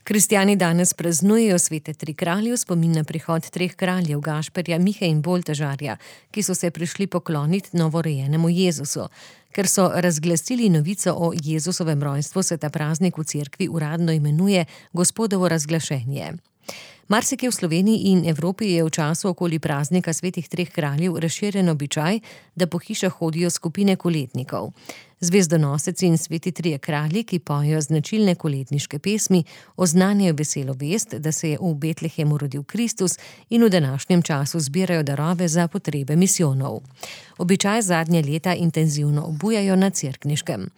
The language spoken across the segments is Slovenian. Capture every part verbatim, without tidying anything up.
Kristjani danes praznujejo svete tri kralje v spomin na prihod treh kraljev, Gašperja, Mihe in Boltežarja, ki so se prišli pokloniti novorojenemu Jezusu. Ker so razglasili novico o Jezusovem rojstvu, se ta praznik v cerkvi uradno imenuje Gospodovo razglašenje. Marsikje v Sloveniji in Evropi je v času okoli praznika svetih treh kraljev razširjen običaj, da po hišah hodijo skupine koletnikov. Zvezdonoseci in sveti trije kralji, ki pojejo značilne koletniške pesmi, oznanjajo veselo vest, da se je v Betlehemu rodil Kristus, in v današnjem času zbirajo darove za potrebe misijonov. Običaj zadnje leta intenzivno obujajo na Cerkniškem.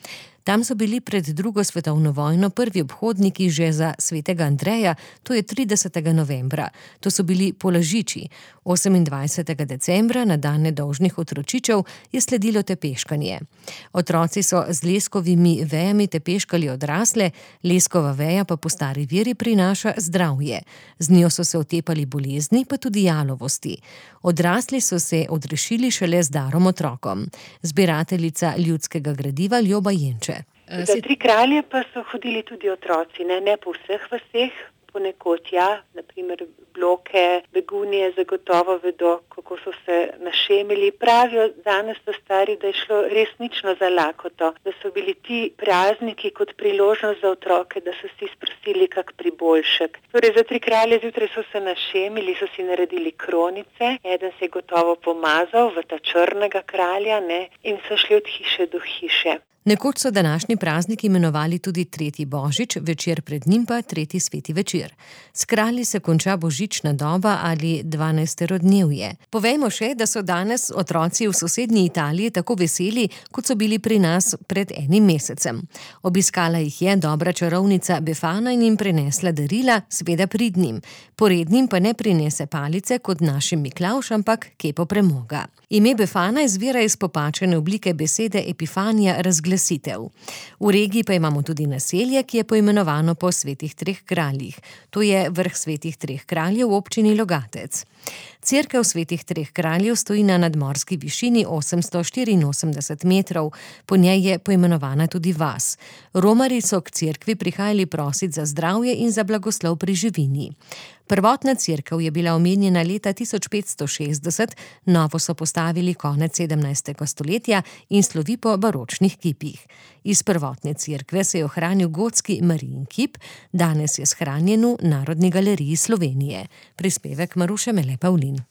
Tam so bili pred drugo svetovno vojno prvi obhodniki že za svetega Andreja, to je tridesetega novembra. To so bili polažiči. osemindvajsetega decembra, na dan nedolžnih otročičev, je sledilo tepeškanje. Otroci so z leskovimi vejami tepeškali odrasle, leskova veja pa po stari veri prinaša zdravje. Z njo so se otepali bolezni, pa tudi jalovosti. Odrasli so se odrešili šele z darom otrokom. Zbirateljica ljudskega gradiva Ljoba Jenče. Za tri kralje pa so hodili tudi otroci, ne, ne po vseh vaseh, ponekod ja, naprimer Bloke, Begunje zagotovo vedo, kako so se našemili. Pravijo danes so stari, da je šlo resnično za lakoto, da so bili ti prazniki kot priložnost za otroke, da so si sprosili kak priboljšek. Torej za tri kralje zjutraj so se našemili, so si naredili kronice, eden se je gotovo pomazal v ta črnega kralja, ne, in so šli od hiše do hiše. Nekoč so današnji praznik imenovali tudi tretji božič, večer pred njim pa tretji sveti večer. S kralji se konča božična doba ali dvanajsterodnevje. Povejmo še, da so danes otroci v sosednji Italiji tako veseli, kot so bili pri nas pred enim mesecem. Obiskala jih je dobra čarovnica Befana in jim prinesla darila, seveda pridnim. Porednim pa ne prinese palice kot našim Miklavž, ampak kepo premoga. Ime Befana izvira iz popačene oblike besede Epifanija, razglasitev. V regiji pa imamo tudi naselje, ki je poimenovano po svetih treh kraljih. To je vrh svetih treh kraljev v občini Logatec. Cerkev svetih treh kraljev stoji na nadmorski višini osemsto štiriinosemdeset metrov, po njej je poimenovana tudi vas. Romarji so k cerkvi prihajali prosit za zdravje in za blagoslov pri živini. Prvotna cerkev je bila omenjena leta tisoč petsto šestdeset, novo so postavili konec sedemnajstega stoletja in slovi po baročnih kipih. Iz prvotne cerkve se je ohranil gotski Marijin kip, danes je shranjen v Narodni galeriji Slovenije. Prispevek Maruše Mele Pavlin.